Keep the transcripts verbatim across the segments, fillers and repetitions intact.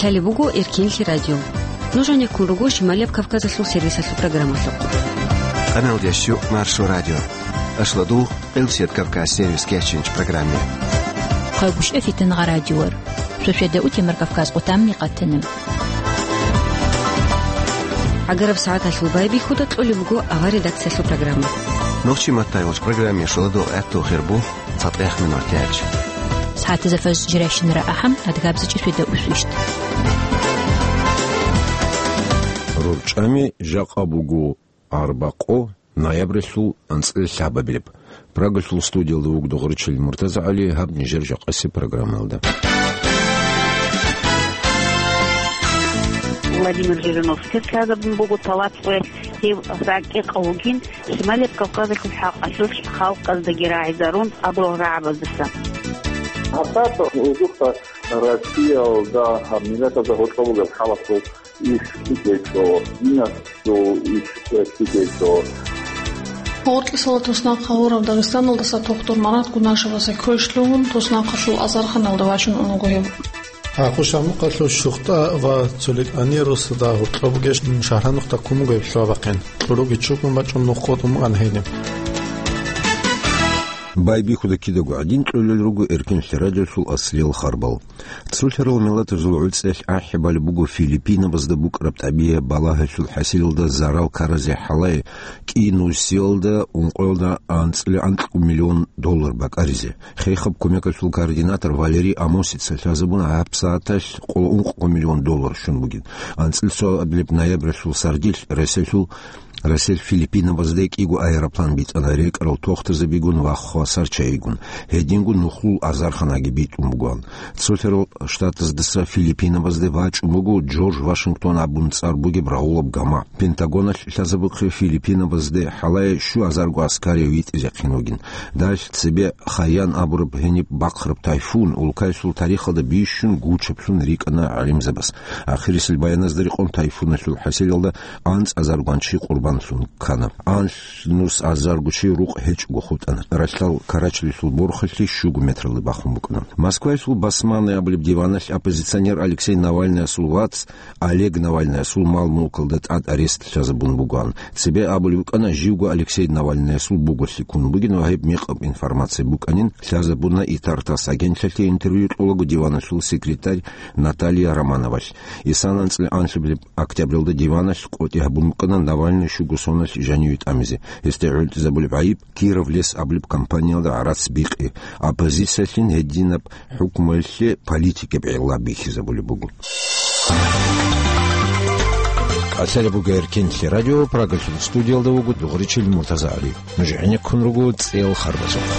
Лъалеб буго Эркенлъи радио. Нуж гьанеккун руго Шималияб Кавказалъул сервисалъул программалъухъ. Къаналдеш ю Маршо радио. Ашладул Къилсият Кавказ сервис кечинч программе. Хъайгъуш эфитан гъа радиор. Шошеда утемар Кавказ къутамни къатана. ГӀагараб сагӀаталъул байбихьуда кьолеб буго авар редакциялъул программа. Нохчи маттай вач программе шоладо гӀатту хирбу. ЦатӀехъ минутач. СагӀатазда фаз жирайщинара ахӀам, адгабзачӀи шведа усвищт. РорчӀами жакъа буго арбакъо ноябралъул анцӀила лъабабилеб. Прагалъул студиялда вуго Догъричил МуртазагӀали, гьаб нижер жакъасеб программаялда. Владимир Жириновский лъазабун буго талат къоялъ, гьев ракӀикъав вугин. Шималияб Кавказалъул хӀакъалъулъ халкъаздаги рагӀизарун абурал рагӀабаздаса. ГьабсагӀат гьудухъа Россиялда гьаб миллатазда гьоркьоб бугеб халасул иш ккечӀо, динасул иш ккечӀо. Гъоркьисала туснахъ гьавураб Дагъистаналдаса тухтур Марат Гунашеваса квеш лъугьун, туснахъалъул азарханалда вачун унаго гьев. Ахъу-Шамукъалъул ЩухтӀа ва Цоликъанирусда гьоркьоб бугеб шагьранухъда ккун буго гьеб лъугьа-бахъин. Кьуруги чӀукӀун бачӀун нух къотӀун букӀана гьениб. Байбихьуда кидаго гӀадин кьолел руго Эркенлъи радиолъул аслиял харбал. Цолъарал миллатазул гӀуцӀелъ ахӀи балеб буго Филиппинабазда букӀараб тӀабигӀат балагьалъул хӀасилалда зарал ккаразе хӀалае кӀи нусиялда ункъоялда анцӀила анкьго миллион доллар бакӀаризе. Хехаб кумекалъул координатор Валерий Амосица лъазабуна гьабсагӀаталъ къоло ункъго миллион доллар щун бугин. АнцӀила цоабилеб ноябралъул сардилъ Россиялъул, Россиялъ Филиппинабазде кӀиго аэроплан битӀана рекӀарал тохтазабигун ва хвасар чайигун. Гьединго нухлул азарханаги битӀун бугоан. Цолъарал Штатаздаса Филиппинабазде вачӀун буго Джордж Вашингтон абун цӀар бугеб рагъулаб гама. Пентагоналъ лъазабухъе Филиппинабазде хӀалае щуазарго аскарияв витӀизехъин вугин. Далъ цебе Хайян абураб гьениб бахъараб тайфун улкаялъул тарихалда бищун гучаблъун рикӀкӀана гӀалимзабаз. Ахирисел баяназда рекъон тайфуналъул хӀасилалда анцӀазаргун чи къурбанлъун ккана. Анлънус азарго чи рукъ гьечӀого хутӀана. Ралъдал Карачалилъул борхалъи щуго метралде бахун букӀана. Москваялъул «Басманный» абулеб диваналъ оппозиционер Алексей Навальныясул вац Олег Навальныясул мал-мулкалда тӀад арест лъазабун бугоан. Цебе абулеб букӀана, живго Алексей Навальныясул буголъи ккун бугин ва гьеб мекъаб информация букӀанин лъазабуна ИТАР-ТАСС агентлъалъе интервью кьолаго диваналъул секретарь Наталья Романовалъ. Исана анцӀила анлъабилеб октябралда диваналъ къотӀи гьабун букӀана Навальный щуго соналъ жаниве тӀамизе. Гьесде гӀунтӀизабулеб гӀайиб Кировлес абулеб компаниялда гӀарац бикъи, оппозициялъин гьединаб хӀукмуялъе политикаб гӀелла бихьизабулеб буго. Лъалеб буго Эркенлъи радио, Прагалъул студиялда вуго Дугъричил Муртазагьари. Нуж гӀенеккун руго цӀел харбазухъ.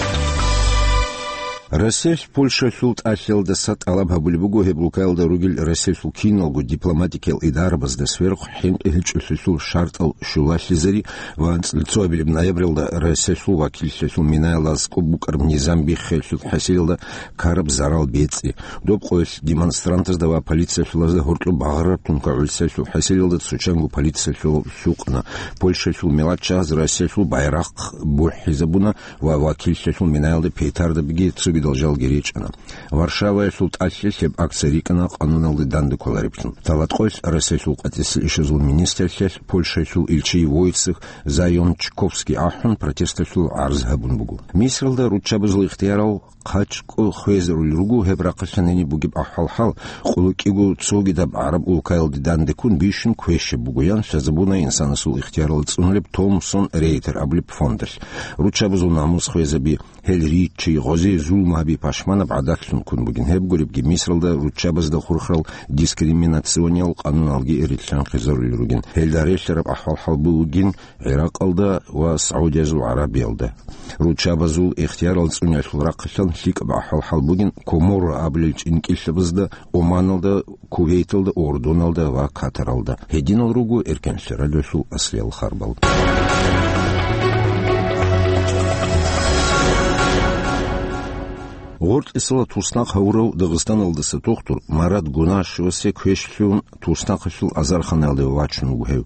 Россиялъ Польшалъул тӀалъиялдаса тӀалаб гьабулеб буго гьеб улкаялда ругел Россиялъул киналго дипломатикиял идарабазда сверухъ хӀинкъи гьечӀолъулъул шартӀал щулалъизари ва анцӀила цоабилеб ноябралда Россиялъул вакиллъиялъул минаялда аскӀоб букӀараб низам биххиялъул хӀасилалда ккараб зарал бецӀи. Доб къоялъ демонстрантазда ва полициялъулазда гьоркьоб багъараб тункагӀуллъиялъул хӀасилалда цочанго полициялъул лъукъана. Польшалъул мелачагӀаз Россиялъул байрахъ бухӀизабуна ва вакиллъиялъул минаялда петардабиги цогидал жалги речӀана. Варшаваялъул тӀалъиялъ гьеб акция рикӀкӀана къануналде данде кколареблъун. Талаткъоялъ Россиялъул къватӀисел ишазул министрлъиялъ Польшаялъул илчи Войцех Зайончковский ахӀун, протесталъул гӀарз гьабун буго. Мисралда руччабазул ихтиярал хъачӀго хвезарулел руго. Гьеб рахъалъан гьениб бугеб ахӀвал-хӀал къуллукъго цогидаб гӀараб улкаялде данде ккун бищун квешаб бугоян лъазабуна инсанасул ихтиярал цӀунулеб Томсон Рейтер абулеб фондалъ. Руччабазул намус хвезаби, гьел риччи, гъозие зулму гьаби пашманаб гӀадатлъун ккун бугин. Гьеб гуребги, Мисралда руччабазда хурхарал дискриминациониял къануналги рилълъанхъизарулел ругин. Гьелда релълъараб ахӀвал-хӀал бугин ГӀиракъалда ва Саудиязул ГӀарабиялда. Руччабазул ихтиярал цӀуниялъул рахъалъан лъикӀаб ахӀвал-хӀал бугин Коморо абулел чӀинкӀиллъабазда, Оманалда, Кувейталда, Урдуналда ва Катаралда. Гьединал руго Эркенлъи радиолъул аслиял харбал. Гъоркьисала туснахъ гьавурав Дагъистаналдаса тухтур Марат Гунашевасе квешлъун туснахъалъул азарханалде вачун вуго гьев.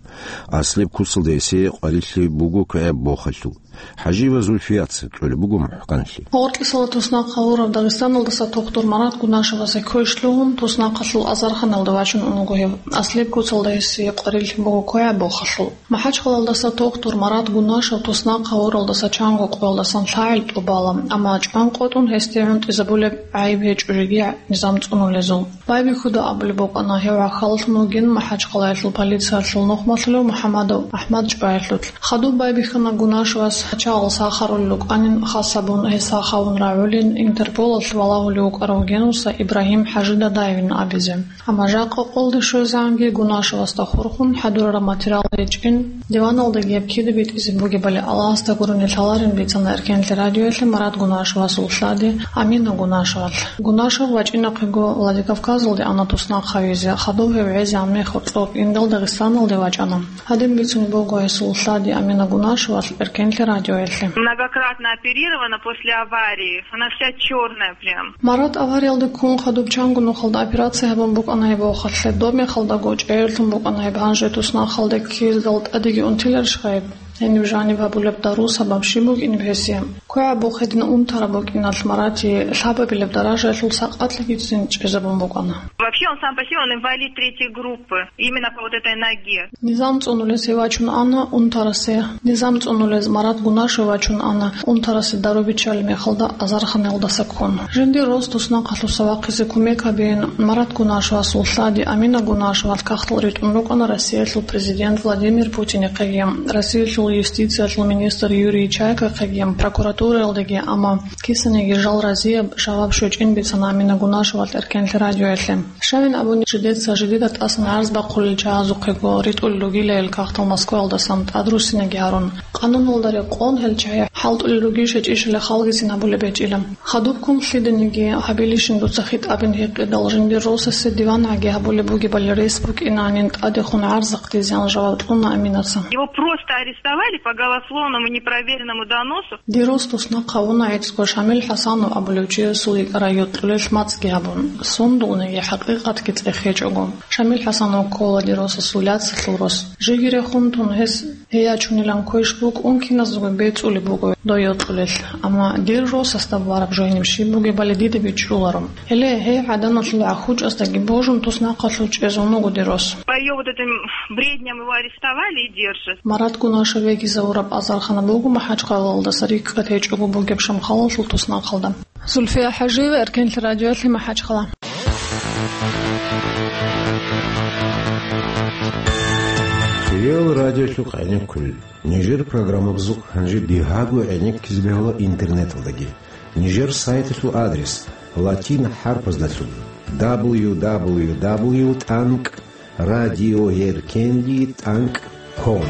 Аслеб куцалда гьесие къварилъи буго квегӀаб бохалъул. ХӀажиева Зульфияца кьолеб буго мухӀканлъи. Гъоркьисала туснахъ гьавурав Дагъистаналдаса тухтур Марат Гунашевасе квешлъун туснахъалъул азарханалде вачун ун вуго гьев. Аслеб куцалда гьесие къварилъи буго квегӀаб бохалъул. МахӀачхъалаялдаса тухтур Марат Гунашев туснахъ гьавуралдаса чанго къоялдасан лъагӀел тӀубала, амма чӀван къотӀун гьесде гӀунтӀизабулеб гӀайиб гьечӀо жеги низам цӀунулезул. Байбихьуда абулеб букӀана гьев гӀахьаллъун вугин МахӀачхъалаялъул полициялъул нухмалъулев МухӀамадов АхӀмад чӀваялъулъ. Хадуб байбихьана Гунашевас гьачагъал сахарулел рукӀанин, хас гьабун гьес сахавун рагӀулин, Интерполалъ валагьулев вукӀарав генуса Ибрагьим ХӀажи Дадаевин абизе. Амма жакъа къолде щвезегӀанги Гунашевасда хурхун хӀадурараб материал гьечӀин, диваналдаги гьеб кида битӀизе бугебали Аллагьасда гурони лъаларин бицана Эркенлъи радиоялъе Марат Гунашевасул лъади Амина Гунашевалъ. Гунашев вачӀинахъего Владикавказалде ана туснахъ гьавизе, хадуб гьев гӀезегӀан мехалъ цӀоб индал Дагъистаналде вачӀана. Гьадин бицун буго гьесул лъади Амина Гунашевалъ Эркенлъи радиоялъе. Многократно оперирована после аварии. Она вся чёрная прям. Марат авариялда ккун хадуб чанго нухалда операция гьабун букӀана гьеб вохалъе. Доб мехалдаго чӀегӀерлъун букӀана гьеб, гьанже туснахъалде ккездал тӀадеги унтиларищха гьеб? Гьениб жаниб гьабулеб дару сабаб щиб букӀинеб гьесие? КвегӀаб бухъ гьедин унтараб букӀиналъ Марати лъабабилеб даражаялъул сакъатлъигицин чӀезабун букӀана. Вообще он сам по себе, он инвалид третьей группы, именно по вот этой ноге. Низам цӀунулес гьев вачун ана унтарасе. Низам цӀунулез Марат Гунашев вачун ана унтарасе дару биччалеб мехалда азарханалдаса ккун. Жиндир рос туснахъалъуса вахъизе кумек гьабеян Марат Гунашевасул лъади Амина Гунашевалъ кагътал ритӀун рукӀана Россиялъул президент Владимир Путинихъеги, Россиялъул юстициялъул министр Юрий Чайкахъеги, прокуратураялдаги, амма кисаниги жал разияб жаваб щвечӀин бицана Амина Гунашевалъ Эркенлъи радиоялъе. Щайин абуни, жидеца жидеда тӀасан гӀарз бахъулел чагӀазухъего ритӀулел ругилайил кагътал Москваялдасан тӀадруссинаги гьарун. Къануналда рекъон гьел чагӀи хӀалтӀулел ругищ гьечӀищали халгицин гьабулеб гьечӀила. Хадуб ккун лъиданиги гьабилищин дуца хитӀабин гьикъидал, жиндир росасе диван гӀаги гьабулеб бугебали рес букӀинанин тӀадехун гӀарзахъ дизеян жаваб кьуна Аминаса. Его просто арестовали по голословному непроверенному доносу. Дир рос туснахъ гьавуна гӀицӀго Шамил ХӀасанов абулев чиясул йикӀарай йокьулелъ мацӀги гьабун, сундулниги хӀакъикъатги цӀехечӀого. Шамил ХӀасанов ккола дир росасул яцалъул рос. Жеги рехун тун гьес гьей ячунилан квеш букӀун киназдаго бецӀулеб буго дой йокьулелъ. Амма дир росасда бараб жо гьениб щиб бугебали дида бичӀчӀуларо. Гьеле, гьей гӀаданалъул гӀахьучӀасдаги божун туснахъалъув чӀезе ун вуго дир рос. По её вот этим бредням его арестовали и держат. Марат Гунашев вегизавураб азархана буго МахӀачхъалаялдаса рикӀкӀад гьечӀого бугеб Шамхалалъул туснахъалда. Зульфия ХӀажиева, Эркенлъи радиоялъе, МахӀачхъала. Кирилл радиолъухъ гӀенеккулел. Нижер программабазухъ гьанже бигьаго гӀенеккизе бегьула интернеталдаги. Нижер сайталъул адрес латин хӀарпаздалъун: дабл ю дабл ю дабл ю тӀанкӀ радиоеркенлъи тӀанкӀ ком.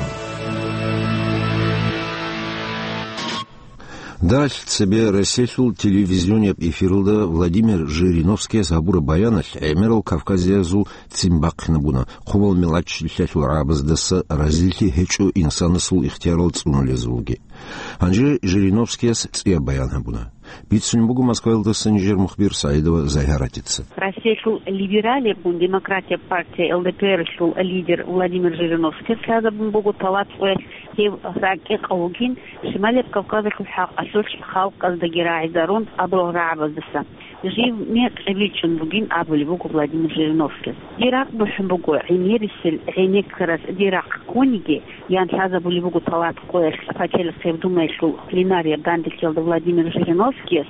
Далъ цебе Россиялъул телевизионияб эфиралда Владимир Жириновскияс гьабураб баяналъ гӀемерал кавказиязул ццин бахъинабуна, хъубал мелаччилъиялъул рагӀабаздаса разилъи гьечӀо инсанасул ихтиярал цӀунулезулги. Гьанже Жириновскияс цӀияб баян гьабуна. Бицунеб буго Москваялдаса нижер мухбир СагӀидова Загьаратица. Россиялъул либералияб гун демократияб партия Л Д П Р-лъул лидер Владимир Жириновскияс лъазабун буго тӀалаб цӀуялъ гьев ракӀикъав вугин, Шималияб Кавказалъул хӀакъалъулъ халкъаздаги рагӀизарун абурал рагӀабаздаса. Жив мекъи бичӀчӀун бугин абулеб буго Владимир Жириновскияс. Дир ракӀ бухӀун буго гӀемерисел гӀенеккарас, дир рахъ ккониги, ян лъазабулеб буго тӀалаб цӀуялъ пачалихъ гьеб Думаялъул пленарияб дандекӀалда Владимир Жириновскияс.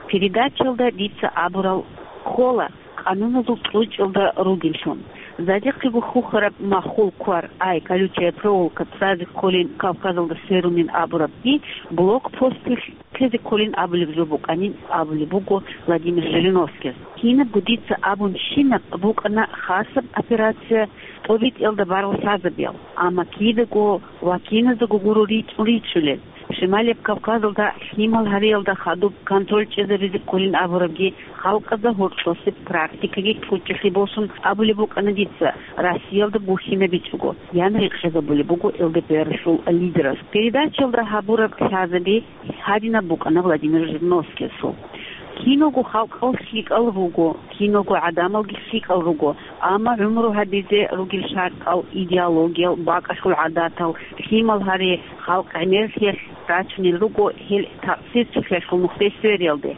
Передачалда дица абурал ккола, къануналъул цӀучӀалда ругеллъун. Задехъего хухьараб махул квар, ай, колючая проволока, цӀазе кколин Кавказалда сверунин абурабги, блокпосталъ ккезе кколин абулеб жо букӀанин абулеб буго Владимир Жириновскияс. Кинабго дица абунщинаб букӀана хасаб операция тӀобитӀиялда барал лъазабиял, амма кидаго ва киназдаго гуро ричӀун ричӀчӀулел. Шималияб Кавказалда лъимал гьариялда хадуб контроль чӀезабизе кколин абурабги, халкъазда гьоркьосеб практикаги кьучӀелъи босун абулеб букӀана дица, Россиялда бухьинабичӀого, ян рекъезабулеб буго Л Д П Р-лъул лидерас. Передачалда гьабураб лъазаби гьадинаб букӀана Владимир Жириновскиясул. Киналго халкъал лъикӀал руго, киналго гӀадамалги лъикӀал руго, амма гӀумру гьабизе ругел шартӀал, идеологиял, бакӀалъул гӀадатал, лъимал гьари халкъ гӀемерлъиялъ рачунел руго гьел такъсир цохӀиялъул нухде свериялде.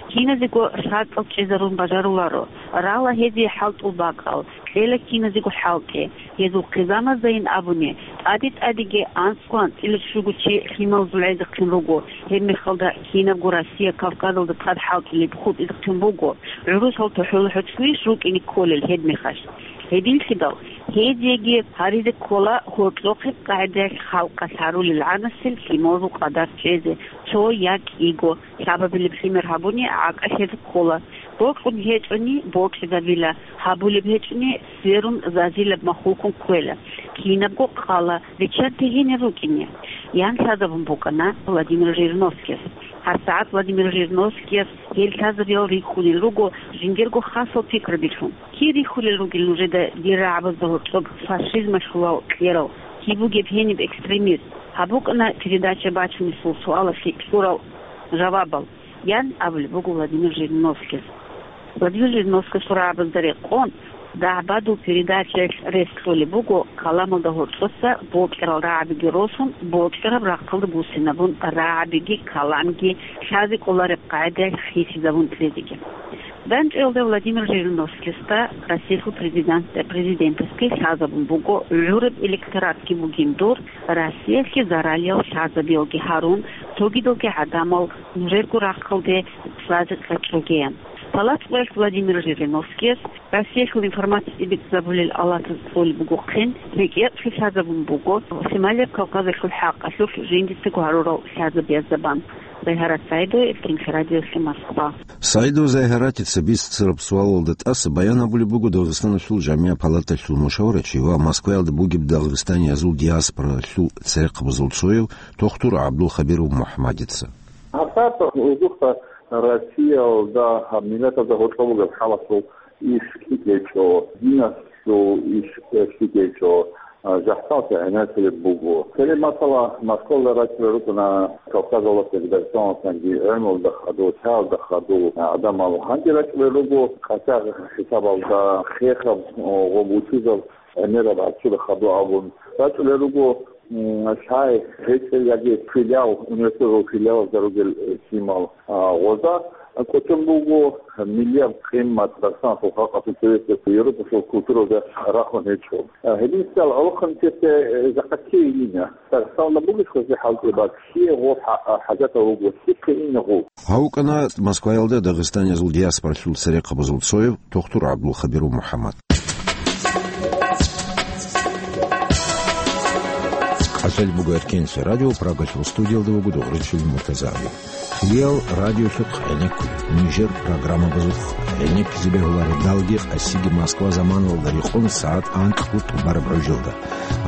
Киназего шартӀал чӀезарун бажаруларо, рала гьезие хӀалтӀул бакӀал, кьела киназего хӀалтӀи. Гьезул хъизамаздайин абуни, тӀаде-тӀадеги анцӀго-анцӀила щуго чи лъималазул гӀезехъин руго, гьеб мехалда кинабго Россия Кавказалда тӀад хӀалтӀулеб хутӀизехъин буго, гӀурусал тохӀула хӀуцлуйищ рукӀине кколел гьеб мехалъ? Гьединлъидал, гьезиеги гьаризе ккола гьоркьохъеб къагӀидаялъ халкъалъ гьарулел гӀанасел лъималазул къадар чӀезе, цо я кӀиго, лъабабилеб лъимер гьабуни гӀакӀалъезе ккола. Бокьун гьечӀони бокьизабила, гьабулеб гьечӀони сверун зазилаб махулкун кквела. Кинабго къала, риччанте гьенир рукӀине, ян лъазабун букӀана Владимир Жириновскияс. ГьабсагӀат Владимир Жириновскияс гьел лъазабиял рихьулел руго жиндирго хасал пикрабилъун. Кир рихьулел ругел нужеда дир рагӀабазда гьоркьоб фашизмалъулал кьерал, киб бугеб гьениб экстремист? Гьаб букӀана передача бачунесул суалалъе кьурал жавабал, ян абулеб буго Владимир Жириновскияс. Владимир Жириновскиясул рагӀабазда рекъон, дагьбадул передачаялъ рес кьолеб буго каламалда гьоркьоса бокьарал рагӀабиги росун, бокьараб рахъалда буссинабун рагӀабиги каламги лъазе кӀолареб къагӀидаялъ хисизабун кьезеги. ДандчӀвалда Владимир Жириновскиясда Россиялъул президент, президентасги лъазабун буго, гӀураб электоратги бугин дур, Россиялъе заралиял лъазабиялги гьарун, цогидалги гӀадамал нужерго рахъалде лъазе кьечӀогеян. Палат къоялъ Владимир Жириновскияс Россиялъул информациясе бицӀцӀабулел алатаз цӀолеб бугохъин, рекӀекълъи лъазабун буго Шималияб Кавказалъул хӀакъалъулъ жиндицаго гьарурал лъазабиязда бан. Зайгьарат Саидова, Иркин радиоялъе, Москва. Саидова Зайгьаратица бицараб суалалда тӀаса баян гьабулеб буго Дагъистаналъул жамигӀ палаталъул мушаварачи ва Москваялда бугеб дагъистаниязул диаспоралъул церехъабазул цояв тухтур ГӀабдулхабиров МухӀаммадица. ГьабсагӀат гьезухъа Россиялда гьаб миллатазда гьоркьоб бугеб хӀалалъул иш лъикӀ гьечӀо, диналъул иш лъикӀ гьечӀо, а, жахӀцӀалъи гӀенеккулеб буго. Цере масала, Москвалда рачӀунел рукӀана Кавказалдасаги, Дагъистаналдасаги, гӀелмуялда хадув, лъаялда хадув гӀадамал. Гьанже рачӀунел руго къачагъ хӀисабалда, хехаб, о, гъоб вучӀизаб гӀемераб гӀарцуда хадув абун. РачӀунел руго, м, лъай гьечӀел яги филиал, университеталъул филиалазда ругел, э, лъимал. А, гъозда кӀочон буго миллияб къимат Дагъистаналъул халкъалъул цевесеб Европалъул культураялда рахун гьечӀо. А, гьединлъидал гӀолохъанчиясе, э, жакъа ккей ина. Дагъистаналда бугищ гъозе хӀалтӀи, ва ккей гъо хӀа-, а, хӀажатав вуго, ккей ина гъо. Гьав вукӀана Москваялда дагъистаниязул диаспоралъул церехъабазул цояв тухтур ГӀабдулхабиров МухӀаммад. КӀалъалеб буго Эркенлъи радио, Прагалъул студиялда вуго Дугъричил МуртазагӀи. Кьуриял радиолъухъ гӀенеккулеб, нижер программабазухъ гӀенеккизе бегьула радалги къасиги Москва заманалда рекъон сагӀат анкьго тӀубараб гӀужалда.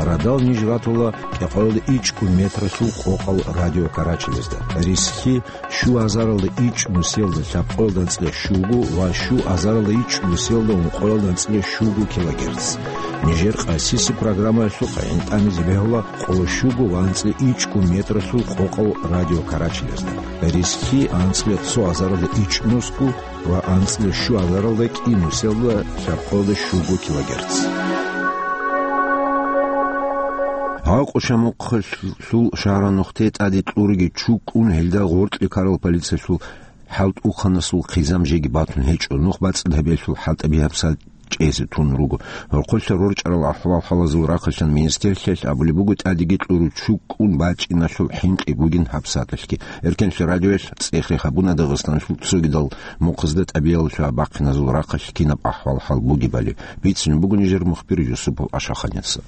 Радал ниж ратула кӀикъоялда ичӀго метралъул къокъал радиокарачелазда. Рисхьи щу азаралда ичӀ нусиялда лъабкъоялда анцӀила щуго ва щу азаралда ичӀ нусиялда ункъоялда анцӀила щуго килогерц. Нижер къасиси программаялъухъ гӀинтӀамизе бегьула къоло щуго ва анцӀила ичӀго метралъул къокъал радиокарачелазда. Рисхьи анцӀила цо азаралда ичӀ нусго ва анцӀила щу азаралда кӀи нусиялда лъабкъоялда щуго килогерц. Гьа, Къушамухъалъул шагьранухъе тӀаде кьуруги чукӀун гьелда гъоркье ккарал полициялъул хӀалтӀухъанасул хъизан жеги батун гьечӀо, нух бацӀцӀад гьабиялъул хӀалтӀаби гьабсагӀат чӀезе тун руго. Гьоркьолъа рорчӀарал ахӀвал-хӀалазул рахъалъан министрлъиялъ абулеб буго, тӀадеги кьуру чукӀун бачӀиналъул хӀинкъи бугин гьабсагӀаталъги. Эркенлъи радиоялъ цӀехе гьабуна Дагъистаналъул цогидал мухъазда тӀабиялалъул абахъиназул рахъалъ кинаб ахӀвал-хӀал бугебали. Бицунеб буго нижер мухбир Юсупов Ашаханица.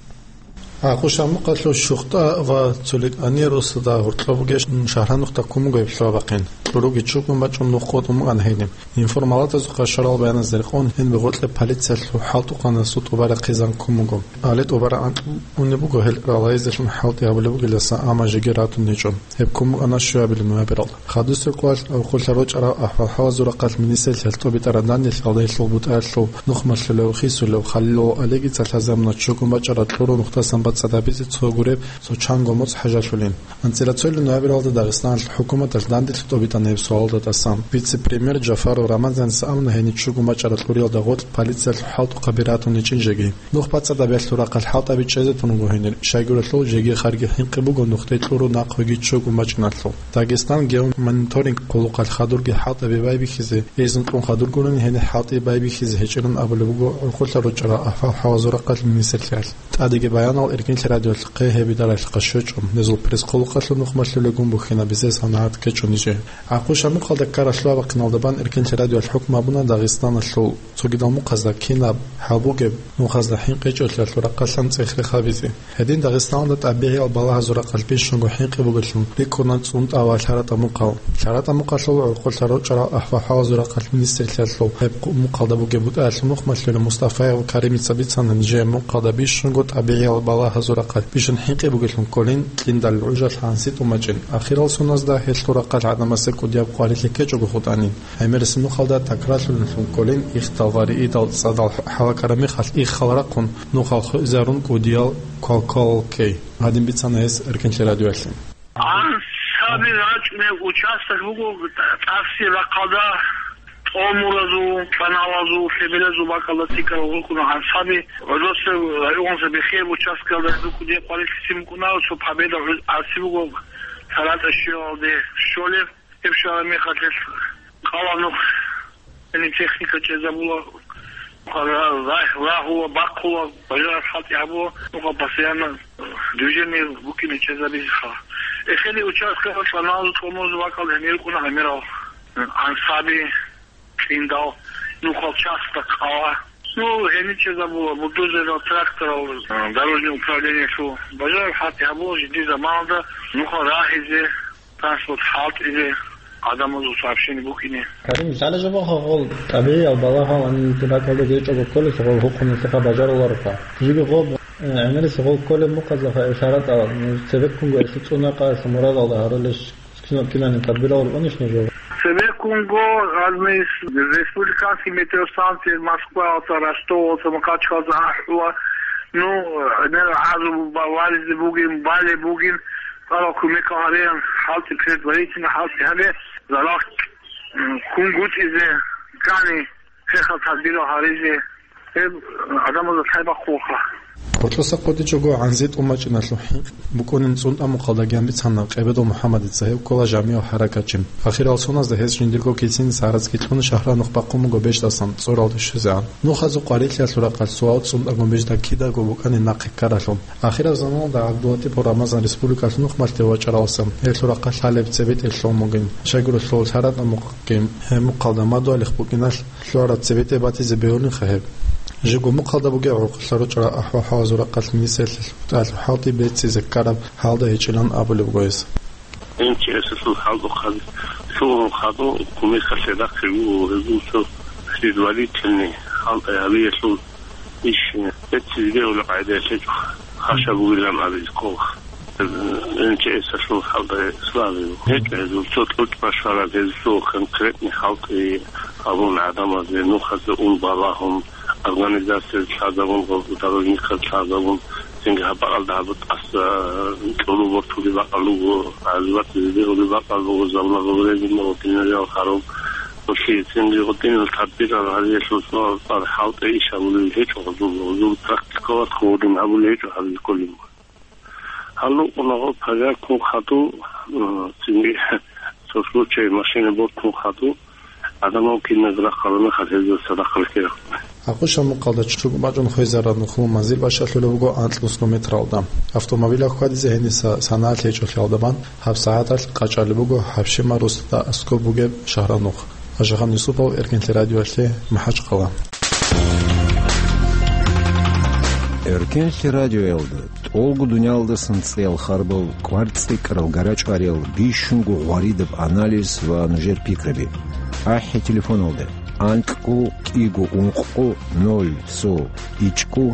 Къушамухъалъул ЩухтӀа ва Цоликъани росда гьоркьоб бугеб шагьранухъ ккун буго гьеб лъабабахъин. Кьуруги чукӀун бачӀун нух къотӀун букӀана гьениб. Информалатазухъа щварал баяназда рекъон, гьениб гъоркье полициялъул хӀалтӀухъанасул тӀубараб хъизан ккун буго. Гьале тӀубараб анкьго унеб буго гьел ралареблъун хӀалтӀи гьабулеб бугелдаса, амма жеги ратун гьечӀо. Гьеб ккун букӀана щуабилеб ноябралда. Хадусеб кӀвалалъ гьоркьолъа рорчӀарал ахӀвал-хӀалазул рахъалъ министрлъиялъ тӀубитӀараб данделъ гьалдалъун бутӀаялъул нух малъулев Хисулев Халил ва Олегица лъазабуна чукӀун бачӀарал кьуру нухдасан цӀадабизе цо гуреб, цо чанго моцӀ хӀажалъулин. АнцӀила цоялъ ноябралда Дагъистаналъ хӀукуматалъ данделъи тӀобитӀана гьеб суалда тӀасан. Вице-премьер Джафаров Рамазаница абуна гьенив чӀугу мачӀарал кьуриялда гъоркь полициялъул хӀалтӀухъаби ратун гьечӀин жеги. Нух бацӀцӀадабиялъул рахъалъ хӀалтӀаби чӀезе тун буго гьенир, щайгурелъул жеги-харги хӀинкъи буго нухде кьуру нахъ гьоги чӀугу мачӀиналъул. Дагестан геомониторинг къулухъалъ хадурги хӀалтӀаби байбихьизе, эзин кьун хадур гурони гьенир хӀалтӀи байбихьизе гьечӀилан абулеб буго гӀурхъулъа ручӀарал ахӀвал-хӀалазул рахъалъ министрлъиялъ. ТӀадеги баянал Эркенлъи радиоялъухъе гьеб идаралъухъа щвечӀо, гьезул пресс-къулухъалъул нухмалъулегун бухьинабизе санагӀат ккечӀо нижее. ГӀакъуба-Мукъалда ккаралъур абахъиналда бан Эркенлъи радиоялъ хӀукму гьабуна Дагъистаналъул цогидал мухъазда кинаб хӀал бугеб, нухазда хӀинкъи гьечӀолъиялъул рахъалъан цӀех-рех гьабизе. Гьедин Дагъистаналда тӀабигӀиял балагьазул рахъалъ бищунго хӀинкъи бугелъул рикӀкӀуна ЦӀунтӀа ва ЛъаратӀа-Мукъал. ЛъаратӀа-Мукъалъул гӀурхъулъа ручӀарал ахӀвал-хӀалазул рахъалъ министрлъиялъул гьеб къу-, мухъалда бугеб бутӀаялъул нухмалъулев Мустафаев Каримица бицана нижее мухъалда бищунго тӀабигӀиял балагьазул рахъалъ бищун хӀинкъи бугелъун кколин, кьиндал гӀужалъ гӀанси тӀумачӀин. Ахирал соназда гьелъул рахъалъ гӀадамасе кӀудияб къварилъи ккечӀого хутӀанин. ГӀемерисеб нухалда такрарлъулелъун кколин, ихдал ва риидал цӀадал хӀалакараб мехалъ иххал рахъун, нухал хвезарун кӀудиял квалквалал ккей. Гьадин бицана гьес Эркенлъи радиоялъе. Ансаби рачӀунеб участок буго тӀаси рахъалда, тӀомуразул, каналазул, лъеберазул бакӀалда цӀикӀкӀарал рукӀуна ансаби. ГӀодосеб районазда биххияб участкалда рукӀуна къварилъи букӀуна, цо Победа гӀарци буго, ЛъаратӀа щвелалде щолеб. Гьеб щвараб мехалъ гьелъ къала нух, гьениб техника чӀезабула, ра-, рагь-, рагьула, бахъула, бажараб хӀалтӀи гьабула, нухал постоянно движение букӀине чӀезабизеха. Эхеде участкаялъ каналазул, тӀомуразул бакӀал гьенир рукӀуна гӀемерал ансаби, кьиндал, нухал часто къала. Ну, гьениб чӀезабула, бульдозерал, тракторал, дорожное управлениялъул бажараб хӀалтӀи гьабула жиндир заманалда нухал рагьизе, транспорт хӀалтӀизе, гӀадамазул сообщение букӀине. Карим, лъала жо бахъа гъол тӀабигӀиял балагьал гьаниб ракӀалда гьечӀого кколелъ гъол гьухъуналъеха бажарулароха. Жиги гъоб, э, гӀемерисеб гъол кколеб мухъазаха ил ЛъаратӀал, ну, цебеккунго гьелъул цӀунакъаялъ мурадалда гьарулел кинал-, киналин тадбирал рукӀунищ нуж? Цебеккунго гьаниб республиканский метеостанция Москваялда, Ростовалда, Махачкалалда ахӀула, ну, гӀемерал гӀазаб ба-, варизе бугин, балеб бугин, Аллагь кумекал гьабеян, хӀалтӀи, предварительно хӀалтӀи гьабе, залал, м, кунгутӀизе, кани, хехал тадбирал гьаризе, гьеб гӀадамазда лъай бахъулаха. Гьоркьоса хъодичӀого гӀанзи тӀумачӀиналъул хӀинкъи букӀунин ЦӀунтӀа-Мукъалдаги бицана Къебедов МухӀаммадица, гьев ккола жамигӀав хӀаракатчи. Ахирал соназда гьес жиндирго кициниса гӀарацги кьун шагьранухъ бахъун буго беждасан, цӀоралде щвезегӀан. Нухазул къварилъиялъул рахъалъ суал ЦӀунтӀаго бежда кидаго букӀанин нахъе ккаралъул. Ахираб заманалда ГӀабдулатипов Рамазан республикалъул нухмалъе вачӀаралсан, гьелъул рахъалъ гьалеб цебетӀе лъун бугин. Щайгурелъул ЛъаратӀа-Мукъалги гьеб мухъалда мадугьалихъ букӀиналъ, лъугьараб цебетӀе батизе бегьулинха гьеб. Жего мухъалда бугеб гӀурхъулъа ручӀарал ахӀвал-хӀалазул рахъалъ министрлъиялъул бутӀаялъул хӀалтӀи беццизе ккараб гьалда гьечӀилан абулеб буго гьес. МЧС-алъул хӀалтӀухъан лъугьун хадуб кумекалъе рахъе вуго гьезул цо предварительный хӀалтӀи гьабиялъул иш беццизе бегьулеб къагӀидаялъ гьечӀо, хъаша бугилан абизе ккола. МЧС-алъул хӀалтӀи слабый гьечӀо гьезул, цо кьучӀ башвараб, гьезул конкретный хӀалтӀи гьабун гӀадамазде, нухазе ун балагьун, организациялъ лъазабун, дорожниказ лъазабун, цинги гьаб бакӀалда гьаб тӀаса кьуру бортулеб бакӀал буго, гӀазабатизе бегьулеб бакӀал буго, заблаговременно гьединал харун, гьелъие цинги гьединал тадбирал гьариялъул цӀар хӀалтӀи иш гьабулел гьечӀо гьезул, гьезул практикалда гьедин гьабулел гьечӀо гьабизе кколин. Гьалукъунагъо пожаркун хадуб, м, цинги цо случай машина бортун хадуб, гӀадамал киназ рахъараб мехалъ гьезул цадахъ рекерахъуна. Ахъуша мукъалда чӀугу бачӀун хвезараб нухлу манзил бащалъулеб буго анкьнусго метралда. Автомобиль хьвадизе гьениса санагӀалъ гьечӀолъиялда бан гьаб сагӀаталъ къачӀалеб буго гьаб щиб марусда аскӀоб бугеб шагьранухъ. Ашахан Юсупов, Эркенлъи радиоялъе, МахӀачхъала. Эркенлъи радиоялда тӀолго дуниялдасан цӀеял харбал, кӀвар цӀикӀкӀарал, гарачӀвариял, бищунго гъваридаб анализ ва нужер пикраби. АхӀи телефоналда: анкьго кӀиго ункъго ноль цо ичӀго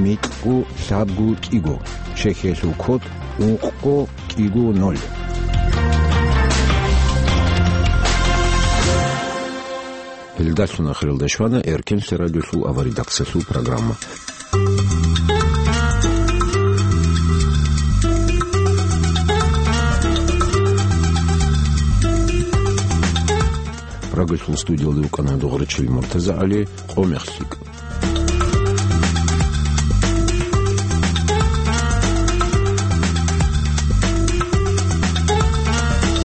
микьго лъабго кӀиго. Чехиялъул код: ункъго кӀиго ноль. Гьелдалъун ахиралда щвана Эркенлъи радиолъул аваридакциялъул программа. Прагалъул студиялда вукӀана дугӀрачил МуртазагӀали, «Къо мех лъикӀ».